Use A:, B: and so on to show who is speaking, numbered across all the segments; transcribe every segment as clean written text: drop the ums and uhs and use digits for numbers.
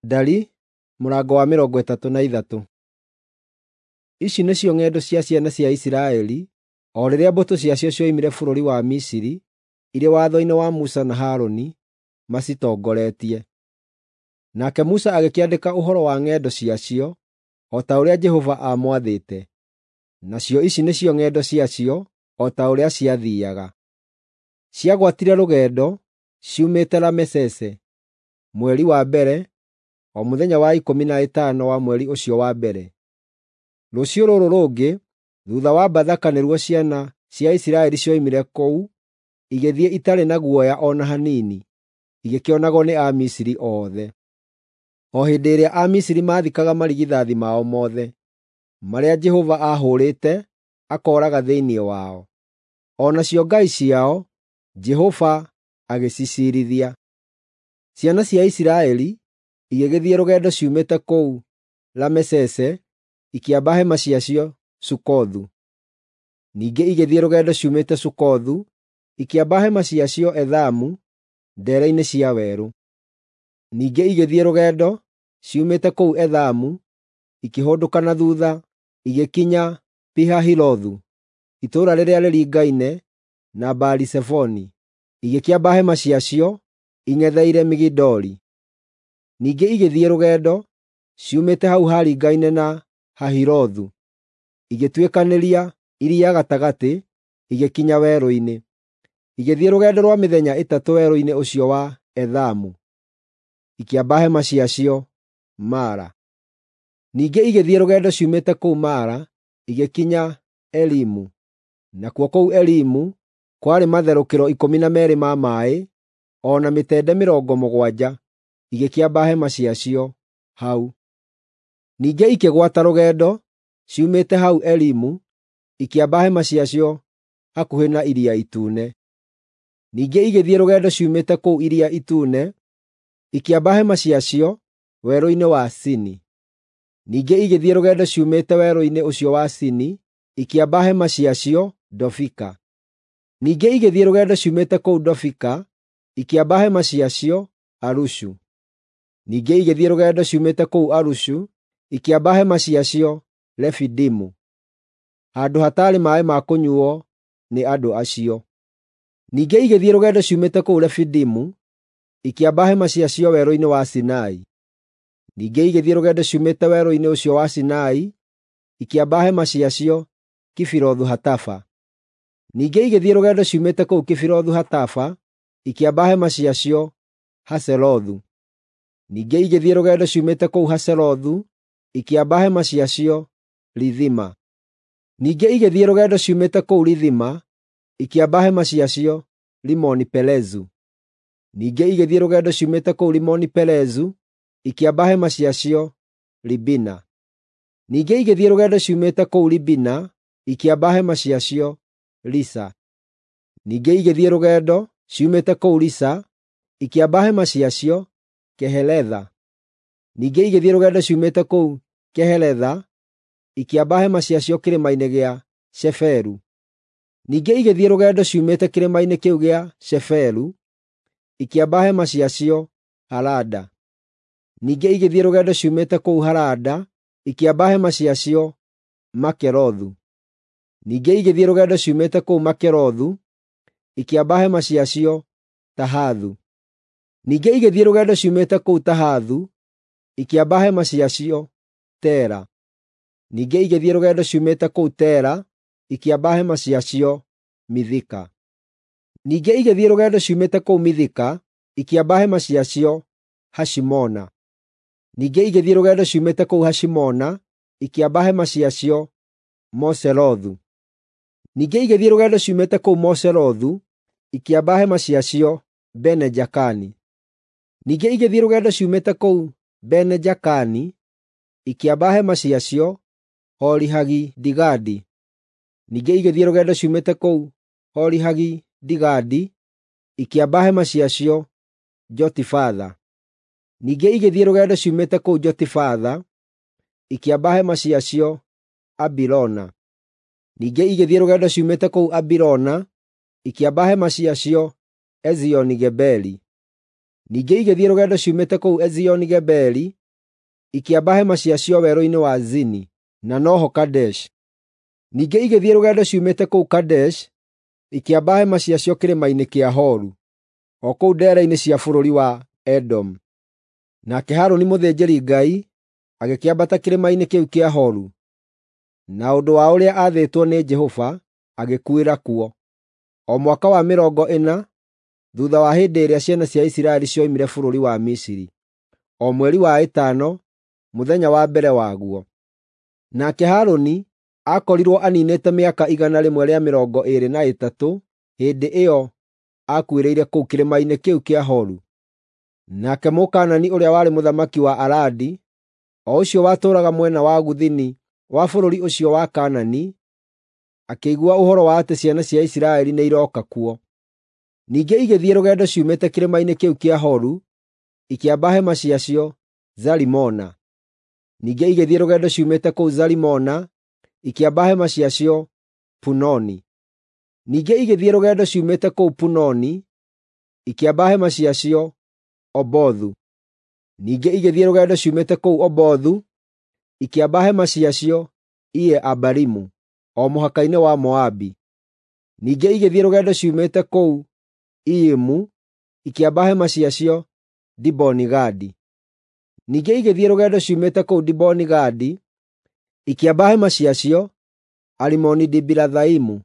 A: Ndari mũrango wa 33. Ici nĩcio ng'endo cia ciana cia Isiraeli o rĩrĩa mbũtũ ciacio cioimire bũrũri wa Misiri irĩ watho-inĩ wa Musa na Harũni macitongoretie. Nake Musa agĩkĩandĩka ũhoro wa ng'endo ciacio o ta ũrĩa Jehova aamwathĩte. Nacio ici nĩcio ng'endo ciacio o ta ũrĩa ciathiiaga. Ciagwatire rũgendo ciumĩte Ramesese mweri wa mbere, o mũthenya wa 15 wa mweri ũcio wa mbere. Rũciũ rũrũ rũngĩ thuutha wa Bathaka nĩruo ciana cia Isiraeli cioimire kũu igĩthiĩ itarĩ na guoya o na hanini, igĩkĩonagwo nĩ Amisiri othe. O hĩndĩ ĩrĩa Amisiri maathikaga marigithathi mao mothe, marĩa Jehova aahũũrĩte akooraga thĩinĩ wao. O nacio ngai ciao Jehova agĩciciirithia. Ciana cia Isiraeli igĩgĩthiĩ rũgendo ciumĩte kũu Ramesese ikĩamba hema ciacio Sukothu. Ningĩ igĩthiĩ rũgendo ciumĩte Sukothu ikĩamba hema ciacio Ethamu ndeere-inĩ cia werũ. Ningĩ igĩthiĩ rũgendo ciumĩte kũu Ethamu ikĩhũndũka na thuutha igĩkinya Pi-Hahirothu, itũũra rĩrĩa rĩringaine na Baali-Zefoni, igĩkĩamba hema ciacio ing'etheire Migidoli. Ningĩ igĩthiĩ rũgendo ciumĩte hau haringaine na Hahirothu, igĩtuĩkanĩria iria gatagatĩ igĩkinya werũ-inĩ. Igĩthiĩ rũgendo rwa mĩthenya ĩtatũ werũ-inĩ ũcio wa Ethamu, ikĩamba hema ciacio Mara. Ningĩ igĩthiĩ rũgendo ciumĩte kũu Mara igĩkinya Elimu, nakuo kũu Elimu kwarĩ matherũkĩro 12 ma maaĩ, o na mĩtende 70, igĩkĩamba hema ciacio hau. Ningĩ ikĩgwata rũgendo ciumĩte hau Elimu ikĩamba hema ciacio hakuhĩ na Iria Itune. Ningĩ igĩthiĩ rũgendo ciumĩte kũu Iria Itune ikĩamba hema ciacio werũ-inĩ wa Sini. Ningĩ igĩthiĩ rũgendo ciumĩte werũ-inĩ ũcio wa Sini ikĩamba hema ciacio Dofika. Ningĩ igĩthiĩ rũgendo ciumĩte kũu Dofika ikĩamba hema ciacio Alushu. Ningĩ igĩthiĩ rũgendo ciumĩte kũu Alushu ikĩamba hema ciacio Refidimu, handũ hataarĩ maaĩ ma kũnyuuo nĩ andũ acio. Ningĩ igĩthiĩ rũgendo ciumĩte kũu Refidimu ikĩamba hema ciacio werũ-inĩ wa Sinai. Ningĩ igĩthiĩ rũgendo ciumĩte werũ-inĩ ũcio wa Sinai ikĩamba hema ciacio Kibirothu-Hatafa. Ningĩ igĩthiĩ rũgendo ciumĩte kũu Kibirothu-Hatafa ikĩamba hema ciacio Haserothu. Ningĩ igĩthiĩ rũgendo ciumĩte kũu Haserothu ikĩamba hema ciacio Rithima. Ningĩ igĩthiĩ rũgendo ciumĩte kũu Rithima ikĩamba hema ciacio Rimoni-Perezu. Ningĩ igĩthiĩ rũgendo ciumĩte kũu Rimoni-Perezu ikĩamba hema ciacio Libina. Ningĩ igĩthiĩ rũgendo ciumĩte kũu Libina ikĩamba hema ciacio Risa. Ningĩ igĩthiĩ rũgendo ciumĩte kũu Risa ikĩamba hema ciacio Keheletha. Ningĩ igĩthiĩ rũgendo ciumĩte kũu Keheletha ikĩamba hema ciacio kĩrĩma-inĩ gĩa Sheferu. Ningĩ igĩthiĩ rũgendo ciumĩte kĩrĩma-inĩ kĩu gĩa Sheferu ikĩamba hema ciacio Harada. Ningĩ igĩthiĩ rũgendo ciumĩte kũu Harada ikĩamba hema ciacio Makelothu. Ningĩ igĩthiĩ rũgendo ciumĩte kũu Makelothu ikĩamba hema ciacio Tahathu. Ningĩ igĩthiĩ rũgendo ciumĩte kũu Tahathu ikĩamba hema ciacio Tera. Ningĩ igĩthiĩ rũgendo ciumĩte kũu Tera ikĩamba hema ciacio Mithika. Ningĩ igĩthiĩ rũgendo ciumĩte kũu Mithika ikĩamba hema ciacio Hashimona. Ningĩ igĩthiĩ rũgendo ciumĩte kũu Hashimona ikĩamba hema ciacio Moserothu. Ningĩ igĩthiĩ rũgendo ciumĩte kũu Moserothu ikĩamba hema ciacio Bene-Jakani. Ningĩ igĩthiĩ rũgendo ciumĩte kũu Bene-Jakani ikĩamba hema ciacio Hori-Hagidigadi. Ningĩ igĩthiĩ rũgendo ciumĩte kũu Hori-Hagidigadi ikĩamba hema ciacio Jotifatha. Ningĩ igĩthiĩ rũgendo ciumĩte kũu Jotifatha ikĩamba hema ciacio Abirona. Ningĩ igĩthiĩ rũgendo ciumĩte kũu Abirona ikĩamba hema ciacio Ezioni-Geberi. Ningĩ igĩthiĩ rũgendo ciumĩte kũu Ezioni-Geberi, ikĩamba hema ciacio werũ-inĩ wa Zini, na noho Kadeshi. Ningĩ igĩthiĩ rũgendo ciumĩte kũu Kadeshi, ikĩamba hema ciacio kĩrĩma-inĩ kĩa Horu, o kũu ndeere-inĩ cia bũrũri wa Edomu. Nake Harũni mũthĩnjĩri-Ngai agĩkĩambata kĩrĩma-inĩ kĩu kĩa Horu, na ũndũ wa ũrĩa aathĩtwo nĩ Jehova, agĩkuĩra kuo, o mwaka wa 40 thuutha wa hĩndĩ ĩrĩa ciana cia Isiraeli cioimire bũrũri wa Misiri, o mweri wa ĩtano, mũthenya wa mbere waguo. Nake Harũni aakorirwo aniinĩte mĩaka 123 hĩndĩ ĩyo aakuĩrĩire kũu kĩrĩma-inĩ kĩu kĩa Horu. Nake Mũkaanani ũrĩa warĩ mũthamaki wa Aradi, o ũcio watũũraga mwena wa gũthini wa bũrũri ũcio wa Kaanani, akĩigua ũhoro wa atĩ ciana cia Isiraeli nĩirooka kuo. Ningĩ igĩthiĩ rũgendo ciumĩte kĩrĩma-inĩ kĩu kĩa Horu, ikĩamba hema ciacio Zalimona. Ningĩ igĩthiĩ rũgendo ciumĩte kũu Zalimona, ikĩamba hema ciacio Punoni. Ningĩ igĩthiĩ rũgendo ciumĩte kũu Punoni, ikĩamba hema ciacio Obothu. Ningĩ igĩthiĩ rũgendo ciumĩte kũu Obothu, ikĩamba hema ciacio Iye-Abarimu, o mũhaka-inĩ wa Moabi. Ningĩ igĩthiĩ rũgendo ciumĩte kũu Iyimu, ikĩamba hema ciacio Diboni-Gadi. Ningĩ igĩthiĩ rũgendo ciumĩte kũu Diboni-Gadi, ikĩamba hema ciacio Alimoni-Dibilathaimu.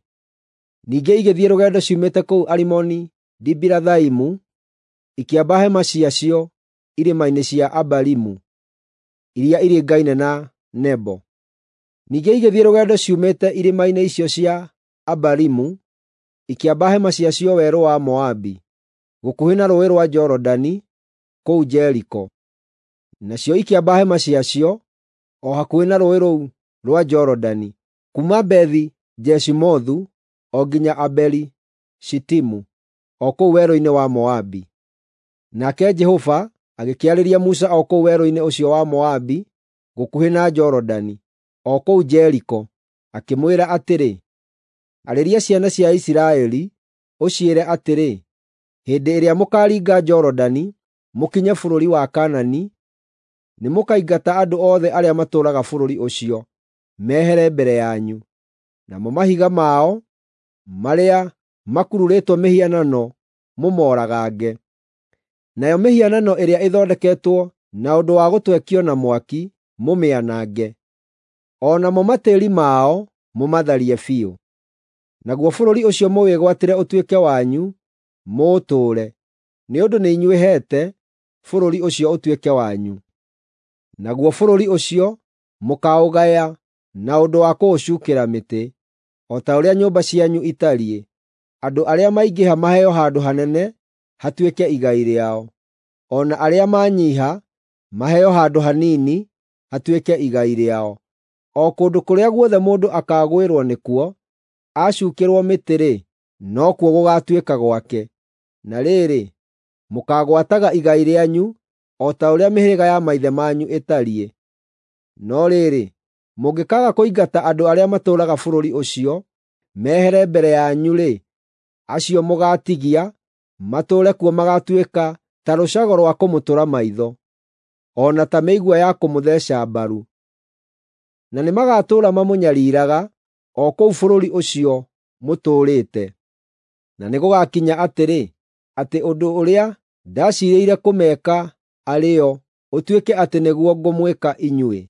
A: Ningĩ igĩthiĩ rũgendo ciumĩte kũu Alimoni-Dibilathaimu, ikĩamba hema ciacio irĩma-inĩ cia Abarimu, iria iringaine na Nebo. Ningĩ igĩthiĩ rũgendo ciumĩte irĩma-inĩ icio cia Abarimu, ikĩamba hema ciacio werũ wa Moabi, gũkuhĩ na Rũũĩ rwa Jorodani, kũu Jeriko. Nacio ikĩamba hema ciacio o hakuhĩ na rũũĩ rũu rwa Jorodani, kuuma Bethi-Jeshimothu o nginya Abeli-Shitimu, o kũu werũ-inĩ wa Moabi. Nake Jehova agĩkĩarĩria Musa o kũu werũ-inĩ ũcio wa Moabi, gũkuhĩ na Jorodani, o kũu Jeriko, akĩmwĩra atĩrĩ, “Arĩria ciana cia Isiraeli, ũciĩre atĩrĩ, ‘Hĩndĩ ĩrĩa mũkaaringa Jorodani mũkinye bũrũri wa Kaanani, nĩmũkaingata andũ othe arĩa matũũraga bũrũri ũcio mehere mbere yanyu, namo mahiga mao marĩa makururĩtwo mĩhianano mũmooragange. Nayo mĩhianano ĩrĩa ĩthondeketwo na ũndũ wa gũtwekio na mwaki mũmĩanange, o namo matĩĩri mao mũmatharie biũ. Naguo bũrũri ũcio mũwĩgwatĩre ũtuĩke wanyu, mũũtũũre, nĩ ũndũ nĩ inyuĩ heete bũrũri ũcio ũtuĩke wanyu. Naguo bũrũri ũcio mũkaũgaya na ũndũ wa kũũcuukĩra mĩtĩ, o ta ũrĩa nyũmba cianyu itariĩ. Andũ arĩa maingĩha maheo handũ hanene hatuĩke igai rĩao, o na arĩa manyiiha maheo handũ hanini hatuĩke igai rĩao. O kũndũ kũrĩa guothe mũndũ akaagwĩrwo nĩkuo acuukĩrwo mĩtĩ-rĩ, nokuo gũgaatuĩka gwake. Na rĩrĩ, mũkaagwataga igai rĩanyu o ta ũrĩa mĩhĩrĩga ya maithe manyu ĩtariĩ. No rĩrĩ, mũngĩkaaga kũingata andũ arĩa matũũraga bũrũri ũcio mehere mbere yanyu-rĩ, acio mũgaatigia matũũre kuo magaatuĩka ta rũcago rwa kũmũtũra maitho, o na ta mĩigua ya kũmũtheeca mbaru. Na nĩmagatũũra mamũnyariiraga o kũu bũrũri ũcio mũtũũrĩte. Na nĩgũgakinya atĩrĩ, atĩ ũndũ ũrĩa ndaciirĩire kũmeka arĩ o, ũtuĩke atĩ nĩguo ngũmwĩka inyuĩ.”